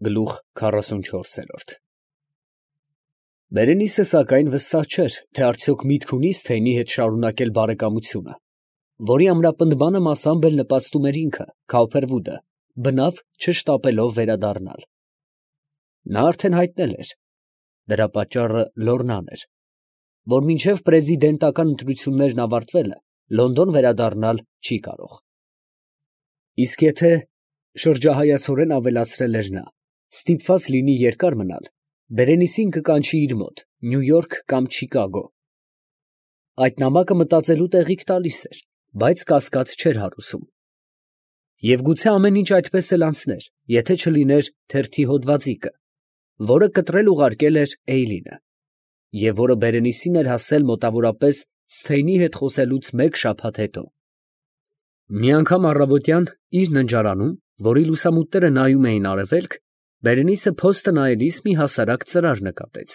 Գլուխ 44։ Բերենիսը սակայն վստահ չէր, թե արդյոք միտք ունի Սթեյնի հետ շարունակել բարեկամությունը, որի ամրապնդմանը մասամբ էլ նպաստում էր ինքը, Քաուփերվուդը, բնավ չշտապելով վերադառնալ։ Նա արդեն հայտնել էր, դրա պատճառը Լոռնան էր, որ մինչև պրեզիդենտական ընտրություններն ավարտվելը Լոնդոն վերադառնալ չի կարող։ Իսկ եթե, շրջահայացորեն ավելացրել էր նա, ստիպված լինի երկար մնալ, Բերենիսին կկանչի իր մոտ, Նյու Յորք կամ Չիկագո։ Այդ նամակը մտածելու տեղիք տալիս էր, բայց կասկած չէր հարուսում։ Եվ գուցե ամեն ինչ այդպես էլ անցներ, եթե չլիներ թերթի հոդվածիկը, որը կտրել ուղարկել էր Էյլինը, և որը Բերենիսին էր հասել մոտավորապես Սթեյնի հետ խոսելուց մեկ շաբաթ հետո։ Մի անգամ առավոտյան իր ննջարանում, որի լուսամուտները նայում էին արևելք, Բերենիսը փոստը նայելիս մի հասարակ ծրար նկատեց,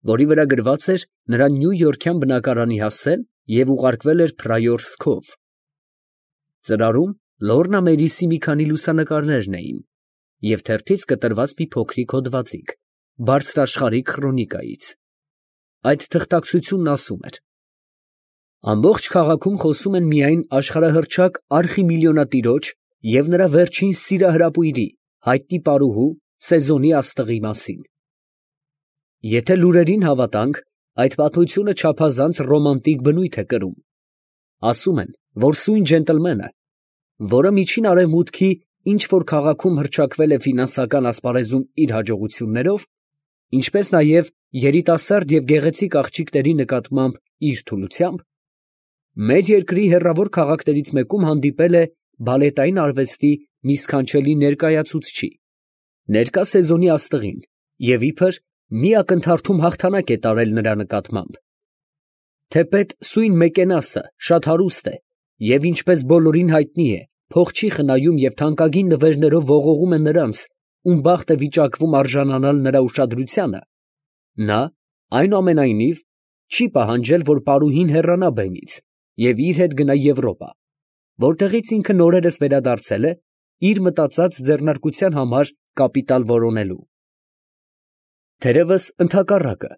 որի վրա գրված էր նրա նյույորքյան բնակարանի հասցեն և ուղարկվել էր Փրայորսկով։ Ծրարում Լոռնա Մերիսի մի քանի լուսանկարներն էին և թերթից կտրված մի փոքրիկ հոդվածիկ բարձրաշխարհիկ խրոնիկայից։ Այդ թղթակցությունն ասում էր. ամբողջ քաղաքում խոսում են միայն աշխարհահռչակ արխիմիլիոնատիրոջ և նրա վերջին սիրահրապույրի, հայտնի պարուհու Սեզոնի աստղի մասին։ Եթե լուրերին հավատանք, այդ պատմությունը չափազանց ռոմանտիկ բնույթ է կրում։ Ասում են, որ սույն ջենտլմենը, որը միջին արևմուտքի ինչ որ քաղաքում հռչակվել է ֆինանսական ասպարեզում իր հաջողություններով, ինչպես նաև երիտասարդ և գեղեցիկ աղջիկների նկատմամբ իր թուլությամբ, մեր երկրի հեռավոր քաղաքներից մեկում հանդիպել է բալետային արվեստի մի սքանչելի ներկայացուցչի, ներկա Սեզոնի աստղին, և իբր մի ակնթարթում հաղթանակ է տարել նրա նկատմամբ։ Թեպետ սույն Մեկենասը շատ հարուստ է և ինչպես բոլորին հայտնի է, փող չի խնայում և թանկագին նվերներով ողողում է նրանց, ում բախտ է վիճակվում արժանանալ նրա ուշադրությանը, նա, այնուամենայնիվ, չի պահանջել, որ պարուհին հեռանա բեմից և իր հետ գնա Եվրոպա, որտեղից ինքը նորերս վերադարձել է իր մտածած ձեռնարկության համար կապիտալ որոնելու։ Թերևս ընդհակառակը,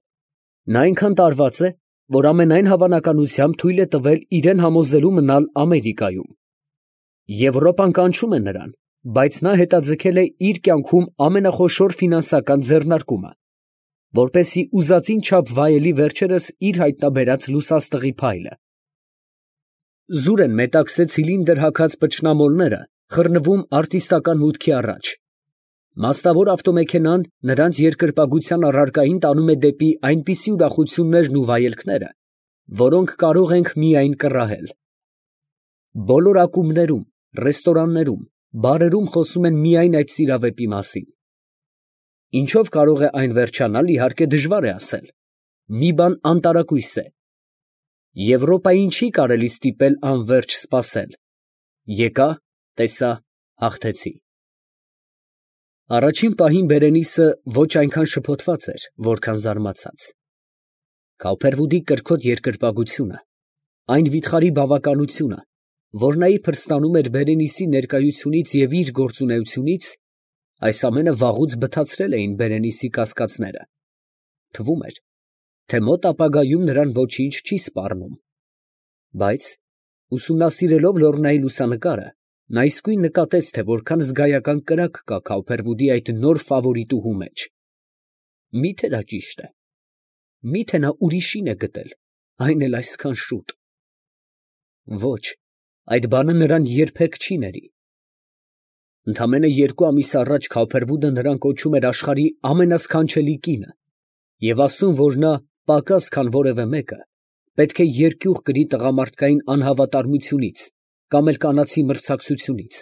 նա այնքան տարված է, որ ամենայն հավանականությամբ թույլ է տվել իրան համոզելու մնալ Ամերիկայում։ Եվրոպան կանչում է նրան, բայց նա հետաձգել է իր կյանքում ամենախոշոր ֆինանսական ձեռնարկումը, որպեսզի ուզածին չափ վայելի վերջերս իր հայտնաբերած լուսաստղի փայլը։ Զուր են մետաքսե ցիլինդր հագած պճնամոլները խռնվում արտիստական մուտքի առաջ։ Մասնավոր ավտոմեքենան նրանց երկրպագության առարկային տանում է դեպի այնպիսի ուրախություններն ու վայելքները, որոնք կարող ենք միայն կռահել։ Բոլոր ակումբներում, ռեստորաններում, բարերում խոսում են միայն այդ սիրավեպի մասին։ Ինչով կարող է այն վերջանալ, իհարկե դժվար է ասել։ Մի բան անտարակույս է։ Եվրոպային չի կարելի ստիպել անվերջ սպասել։ Եկա, տեսա, հաղթեցի։ Առաջին պահին Բերենիսը ոչ այնքան շփոթված էր, որքան զարմացած։ Քաուփերվուդի կրքոտ երկրպագությունը, այն վիթխարի բավականությունը, որ նա իբր ստանում էր Բերենիսի ներկայությունից և իր գործունեությունից, այս ամենը վաղուց բթացրել էին Բերենիսի կասկածները։ Թվում էր, թե մոտ ապագայում նրան ոչինչ չի սպառնում։ Բայց, ուսումնասիրելով Լոռնայի լուսանկարը, նա իսկույն նկատեց, թե որքան զգայական կրակ կա Քաուփերվուդի այդ նոր ֆավորիտուհու մեջ։ Մի՞թե դա ճիշտ է։ Մի՞թե նա ուրիշին է գտել, այն էլ այսքան շուտ։ Ոչ, այդ բանը նրան երբեք չի ների։ Ընդամենը 2 ամիս առաջ Քաուփերվուդը նրան կոչում էր աշխարհի ամենասքանչելի կինը և ասում, որ նա, պակաս քան որևէ մեկը, պետք է երկյուղ կրի տղամարդկային անհավատարմությունից կամ էլ կանացի մրցակցությունից։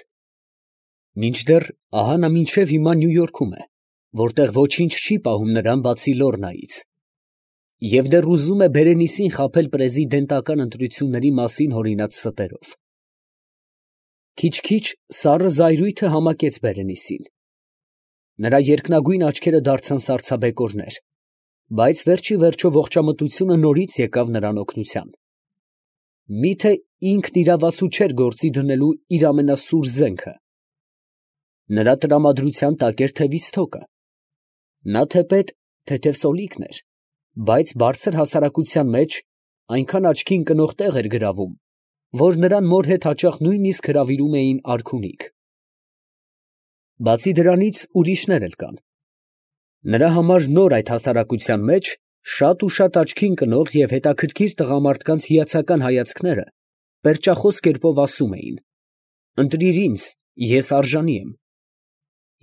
Մինչդեռ ահա նա մինչև հիմա Նյու Յորքում է, որտեղ ոչինչ չի պահում նրան բացի Լոռնայից, և դեռ ուզում է Բերենիսին խաբել պրեզիդենտական ընտրությունների մասին հորինած ստերով։ Քիչ-քիչ սառը զայրույթը համակեց Բերենիսին։ Նրա երկնագույն աչքերը դարձան սառցաբեկորներ, բայց վերջիվերջո ողջամտությունը նորից եկավ նրան օգնության։ Միթե ինքն իրավասու չէր գործի դնելու իր ամենասուր զենքը։ Նրա տրամադրության տակ էր թևից թոկը։ Նա թեպետ թեթև սոլիկն էր, բայց բարձր հասարակության մեջ այնքան աչքի ընկնող տեղ էր գրավում, որ նրան մոր հետ հաճախ նույնիսկ հրավիրում էին արքունիք։ Բացի դրանից ուրիշներ էլ կան։ Նրա համար նոր այդ հասարակության մեջ շատ ու շատ աչքի ընկնող և հետաքրքիր տղամարդկանց հիացական հայացքները պերճախոս կերպով ասում էին. «Ընտրիր ինձ, ես արժանի եմ»։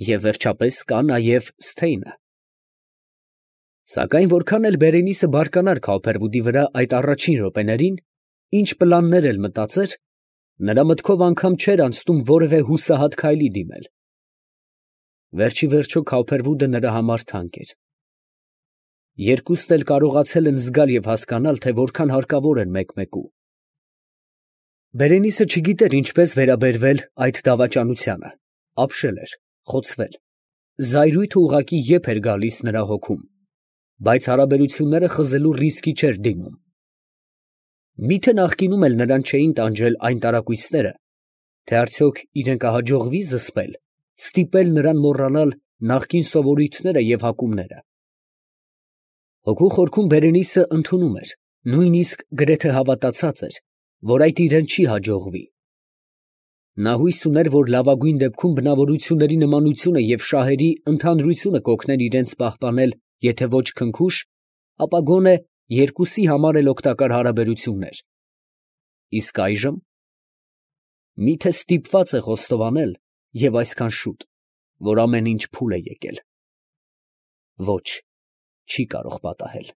Եվ վերջապես կա նաև Սթեյնը։ Սակայն որքան էլ Բերենիսը բարկանար Քաուփերվուդի վրա այդ առաջին րոպեներին, ինչ պլաններ էլ մտածեր, նրա մտքով անգամ չէր անցնում որևէ հուսահատ քայլի դիմել։ Վերջիվերջո Քաուփերվուդը նրա համար թանկ էր։ Երկուսն էլ կարողացել են զգալ և հասկանալ, թե որքան հարկավոր են մեկմեկու։ Բերենիսը չգիտեր ինչպես վերաբերվել այդ դավաճանությանը, ապշել էր, խոցվել, զայրույթը ուղղակի եփ էր գալիս նրա հոգում, բայց հարաբերությունները խզելու ռիսկի չէր դիմում։ Միթե նախկինում էլ նրան չէին տանջել այն տարակույսները, թե արդյոք իրեն կհաջողվի զսպել, ստիպել նրան մոռանալ նախկին սովորույթները և հակումները։ Հոգու խորքում Բերենիսը ընդունում էր, նույնիսկ գրեթե հավատացած էր, որ այդ իրան չի հաջողվի։ Նա հույս ուներ, որ լավագույն դեպքում բնավորությունների նմանությունը և շահերի ընդհանրությունը կօգնեն իրենց պահպանել եթե ոչ քնքուշ, ապա գոնե երկուսի համար էլ օգտակար հարաբերություններ։ Իսկ այժմ… Միթե ստիպված է խոստովանել և այսքան շուտ, որ ամեն ինչ փուլ է եկել։ Ոչ, չի կարող պատահել։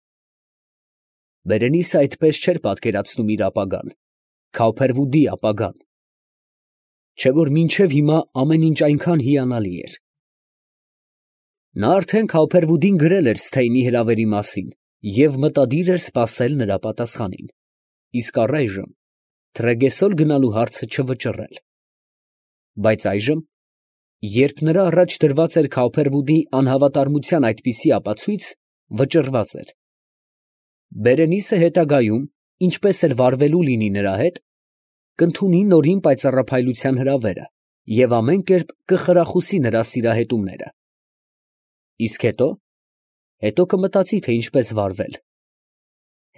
Բերենիսը այդպես չէր պատկերացնում իր ապագան, Քաուփերվուդի ապագան, չէ՞ որ մինչև հիմա ամեն ինչ այնքան հիանալի էր։ Նա արդեն Քաուփերվուդին գրել էր Սթեյնի հրավերի մասին և մտադիր էր սպասել նրա պատասխանին, իսկ առայժմ Թրեգեսոլ գնալու հարցը չվճռել։ Բայց այժմ, երբ նրա առաջ դրված էր Քաուփերվուդի անհավատարմության այդպիսի ապացույց, վճռված էր։ Բերենիսը հետագայում, ինչպես էլ վարվելու լինի նրա հետ, կընդունի նորին պայծառափայլության հրավերը և ամեն կերպ կխրախուսի նրա սիրահետումները։ Իսկ հետո… հետո կմտածի, թե ինչպես վարվել։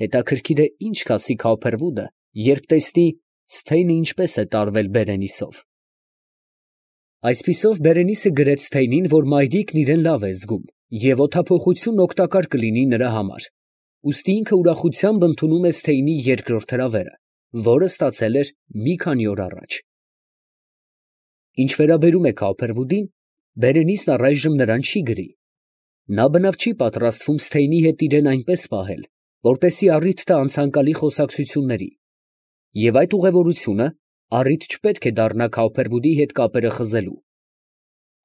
Հետաքրքիր է ինչ կասի Քաուփերվուդը, երբ տեսնի Սթեյնը ինչպես է տարվել Բերենիսով։ Այսպիսով Բերենիսը գրեց Սթեյնին, որ մայրիկն իրեն լավ է զգում և օդափոխությունն օգտակար կլինի նրա համար, ուստի ինքը ուրախությամբ ընդունում է Սթեյնի երկրորդ հրավերը, որը ստացել էր մի քանի օր առաջ։ Ինչ վերաբերում է Քաուփերվուդին, Բերենիսն առայժմ նրան չի գրի։ Նա բնավ չի պատրաստվում Սթեյնի հետ իրեն այնպես պահել, որպեսզի առիթ տա անցանկալի խոսակցությունների, և այդ ուղևորությունը առիթ չպետք է դառնա Քաուփերվուդի հետ կապերը խզելու։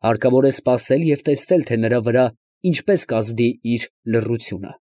Հարկավոր է սպասել և տեսնել, թե նրա վրա ինչպես կազդի իր լռությունը։